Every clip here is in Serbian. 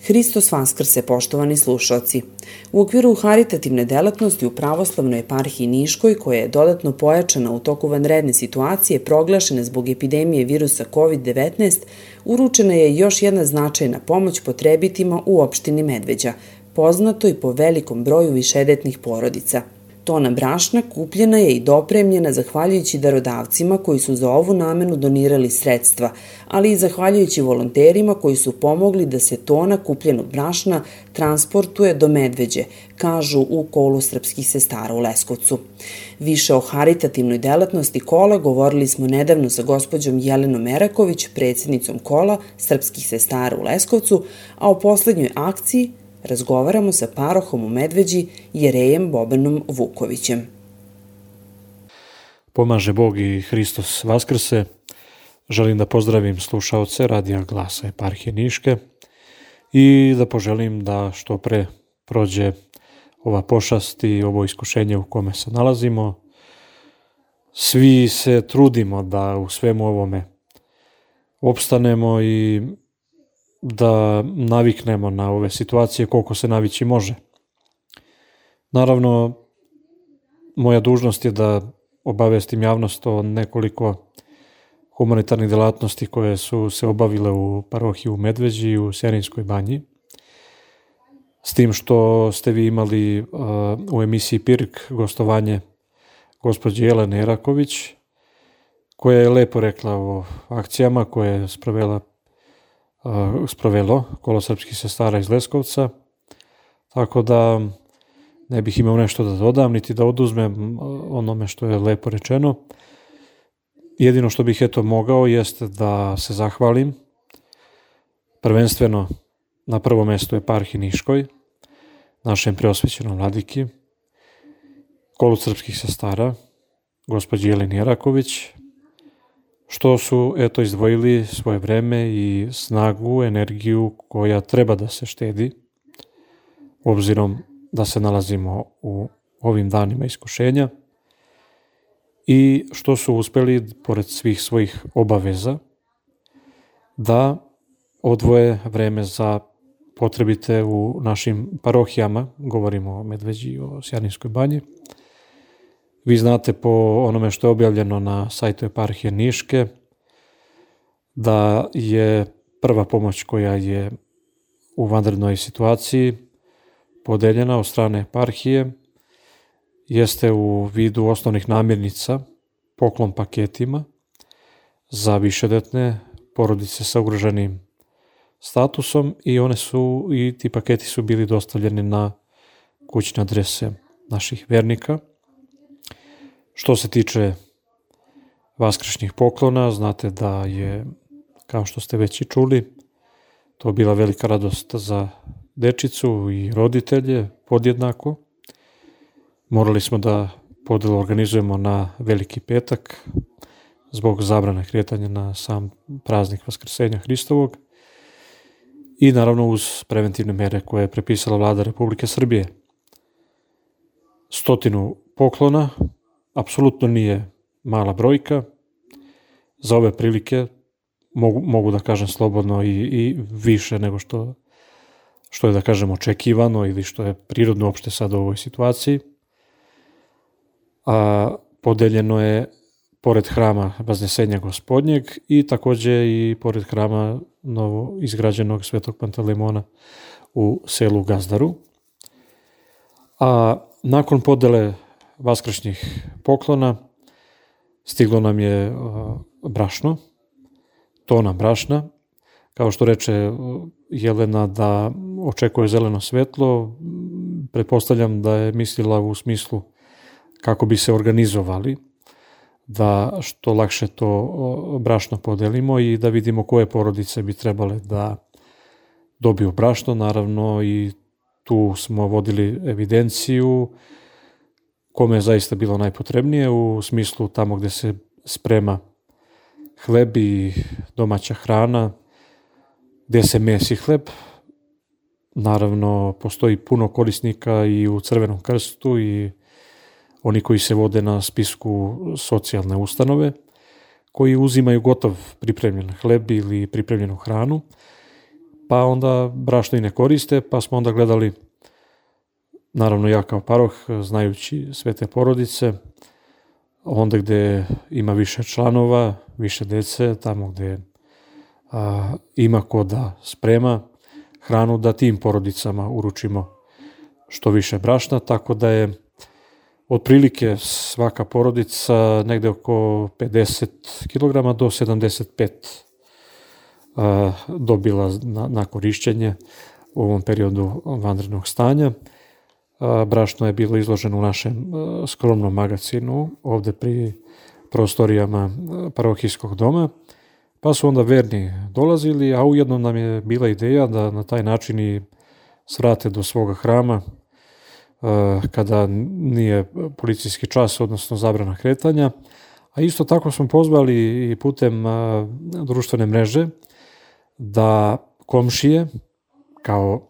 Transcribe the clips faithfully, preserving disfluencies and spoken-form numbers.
Hristos Vaskrse, poštovani slušaoci. U okviru haritativne delatnosti u Pravoslavnoj eparhiji Niškoj, koja je dodatno pojačana u toku vanredne situacije proglašene zbog epidemije virusa kovid devetnaest, uručena je još jedna značajna pomoć potrebitima u opštini Medveđa, poznatoj po velikom broju višedetnih porodica. Tona brašna kupljena je i dopremljena zahvaljujući darodavcima koji su za ovu namenu donirali sredstva, ali i zahvaljujući volonterima koji su pomogli da se tona kupljenog brašna transportuje do Medveđe, kažu u Kolu srpskih sestara u Leskovcu. Više o haritativnoj delatnosti Kola govorili smo nedavno sa gospođom Jelenom Eraković, predsjednicom Kola srpskih sestara u Leskovcu, a o poslednjoj akciji razgovaramo sa parohom u Medveđi, jerejem Bobanom Vukovićem. Pomaže Bog i Hristos Vaskrse. Želim da pozdravim slušaoce Radija Glasa eparhije Niške i da poželim da što pre prođe ova pošast i ovo iskušenje u kome se nalazimo. Svi se trudimo da u svemu ovome opstanemo i da naviknemo na ove situacije koliko se navići može. Naravno, moja dužnost je da obavestim javnost o nekoliko humanitarnih delatnosti koje su se obavile u parohiji u Medveđi i u Sjarinskoj banji. S tim što ste vi imali uh, u emisiji Pirk gostovanje gospođe Jelene Eraković, koja je lepo rekla o akcijama koje je sprovela sprovelo Kolo srpskih sestara iz Leskovca, tako da ne bih imao nešto da dodam, niti da oduzmem onome što je lepo rečeno. Jedino što bih eto mogao jeste da se zahvalim prvenstveno na prvom mestu eparhiji Niškoj, našem preosvećenom vladiki, Kolu srpskih sestara, gospođi Jeleni Eraković, što su eto izdvojili svoje vreme i snagu, energiju koja treba da se štedi, obzirom da se nalazimo u ovim danima iskušenja, i što su uspeli, pored svih svojih obaveza, da odvoje vreme za potrebite u našim parohijama, govorimo o Medveđi i o Sjarinskoj banji. Vi znate po onome što je objavljeno na sajtu eparhije Niške da je prva pomoć koja je u vanrednoj situaciji podeljena od strane eparhije jeste u vidu osnovnih namirnica, poklon paketima za višedetne porodice sa ugroženim statusom, i one su i ti paketi su bili dostavljeni na kućne adrese naših vernika. Što se tiče vaskršnjih poklona, znate da je, kao što ste već i čuli, to bila velika radost za dečicu i roditelje podjednako. Morali smo da podelu organizujemo na Veliki petak zbog zabrane kretanja na sam praznik Vaskrsenja Hristovog i naravno uz preventivne mere koje je prepisala Vlada Republike Srbije. Stotinu poklona apsolutno nije mala brojka. Za ove prilike mogu, mogu da kažem slobodno i, i više nego što, što je da kažem očekivano ili što je prirodno uopšte sad u ovoj situaciji. A podeljeno je pored hrama Vaznesenja Gospodnjeg i takođe i pored hrama novo izgrađenog Svetog Pantelemona u selu Gazdaru. A nakon podele vaskršnjih poklona stiglo nam je brašno, tona brašna. Kao što reče Jelena da očekuje zeleno svetlo, pretpostavljam da je mislila u smislu kako bi se organizovali, da što lakše to brašno podelimo i da vidimo koje porodice bi trebale da dobiju brašno. Naravno i tu smo vodili evidenciju kome je zaista bilo najpotrebnije, u smislu tamo gde se sprema hleb i domaća hrana, gde se mesi hleb. Naravno, postoji puno korisnika i u Crvenom krstu i oni koji se vode na spisku socijalne ustanove, koji uzimaju gotov pripremljen hleb ili pripremljenu hranu pa onda brašno i ne koriste, pa smo onda gledali, naravno ja kao paroh, znajući sve te porodice, onda gde ima više članova, više dece, tamo gde a, ima ko da sprema hranu, da tim porodicama uručimo što više brašna, tako da je otprilike svaka porodica negde oko pedeset kilograma do sedamdeset pet a, dobila na, na korišćenje u ovom periodu vanrednog stanja. A, brašno je bilo izloženo u našem a, skromnom magazinu ovde pri prostorijama parohijskog doma, pa su onda verni dolazili, a ujedno nam je bila ideja da na taj način i svrate do svoga hrama kada nije policijski čas, odnosno zabrana kretanja. A isto tako smo pozvali i putem društvene mreže da komšije, kao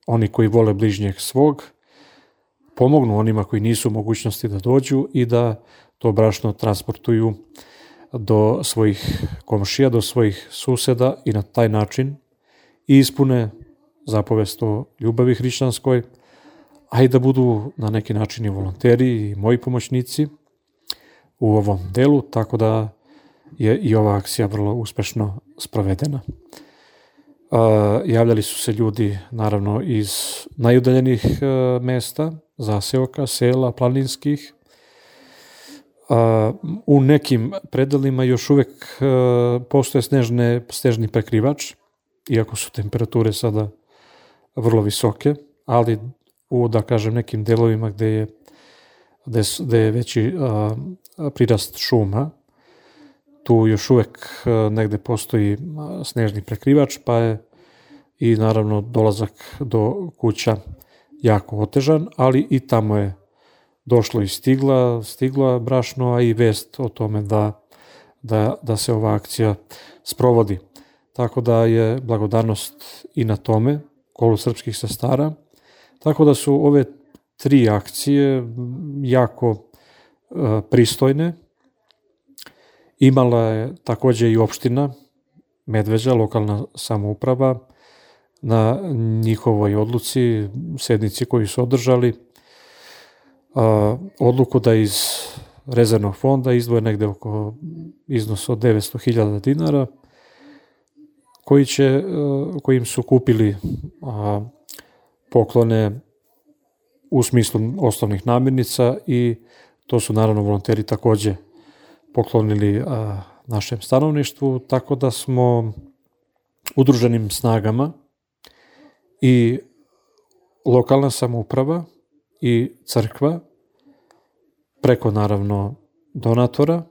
oni koji vole bližnjeg svog, pomognu onima koji nisu u mogućnosti da dođu i da to brašno transportuju do svojih komšija, do svojih suseda i na taj način ispune zapovest o ljubavi hrišćanskoj, a i da budu na neki način i volonteri i moji pomoćnici u ovom delu, tako da je i ova akcija vrlo uspešno sprovedena. Javljali su se ljudi naravno iz najudaljenih mesta, zaseoka, sela, planinskih. U nekim predelima još uvek postoje snežne, snežni prekrivač, iako su temperature sada vrlo visoke, ali u, da kažem, nekim delovima gde je, gde, gde je veći a, prirast šuma, tu još uvek a, negde postoji a, snežni prekrivač, pa je i naravno dolazak do kuća jako otežan, ali i tamo je došlo i stigla, stigla brašno, a i vest o tome da, da, da se ova akcija sprovodi. Tako da je blagodarnost i na tome, Kolu srpskih sestara. Tako da su ove tri akcije jako e, pristojne. Imala je takođe i opština Medveđa, lokalna samouprava, na njihovoj odluci, sednici koju su održali, a, odluku da iz rezervnog fonda izdvoje negde oko iznos od devetsto hiljada dinara, koji će, kojim su kupili a, poklone u smislu osnovnih namirnica i to su naravno volonteri takođe poklonili a, našem stanovništvu, tako da smo udruženim snagama i lokalna samouprava i crkva preko naravno donatora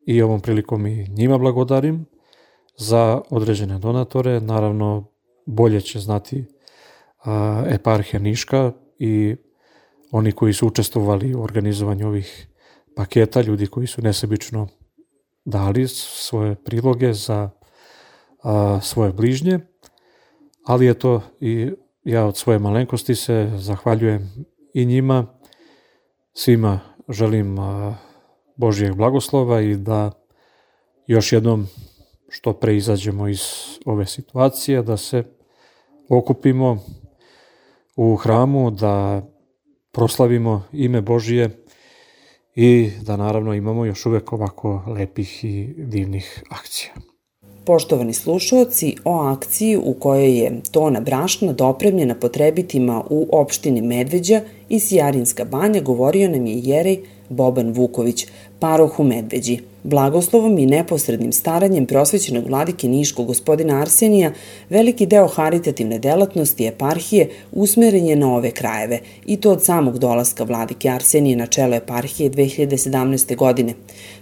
i ovom prilikom i njima blagodarim za određene donatore. Naravno bolje će znati a, eparhija Niška i oni koji su učestvovali u organizovanju ovih paketa, ljudi koji su nesebično dali svoje priloge za a, svoje bližnje, ali je to i ja od svoje malenkosti se zahvaljujem i njima, svima želim a, Božijeg blagoslova i da još jednom što pre izađemo iz ove situacije, da se okupimo u hramu, da proslavimo ime Božije i da naravno imamo još uvek ovako lepih i divnih akcija. Poštovani slušaoci, o akciji u kojoj je tona brašna dopremljena potrebitima u opštini Medveđa i Sijarinska banja govorio nam je jerej Boban Vuković, paroh u Medveđi. Blagoslovom i neposrednim staranjem prosvećenog vladike Niškog gospodina Arsenija, veliki deo haritativne delatnosti eparhije usmeren je na ove krajeve, i to od samog dolaska vladike Arsenije na čelo eparhije dve hiljade sedamnaeste. godine.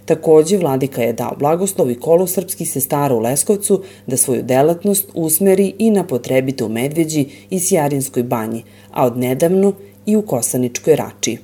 Takođe, vladika je dao blagoslov i Kolu srpskih sestara u Leskovcu da svoju delatnost usmeri i na potrebite u Medveđi i Sijarinskoj banji, a odnedavno i u Kosaničkoj Rači.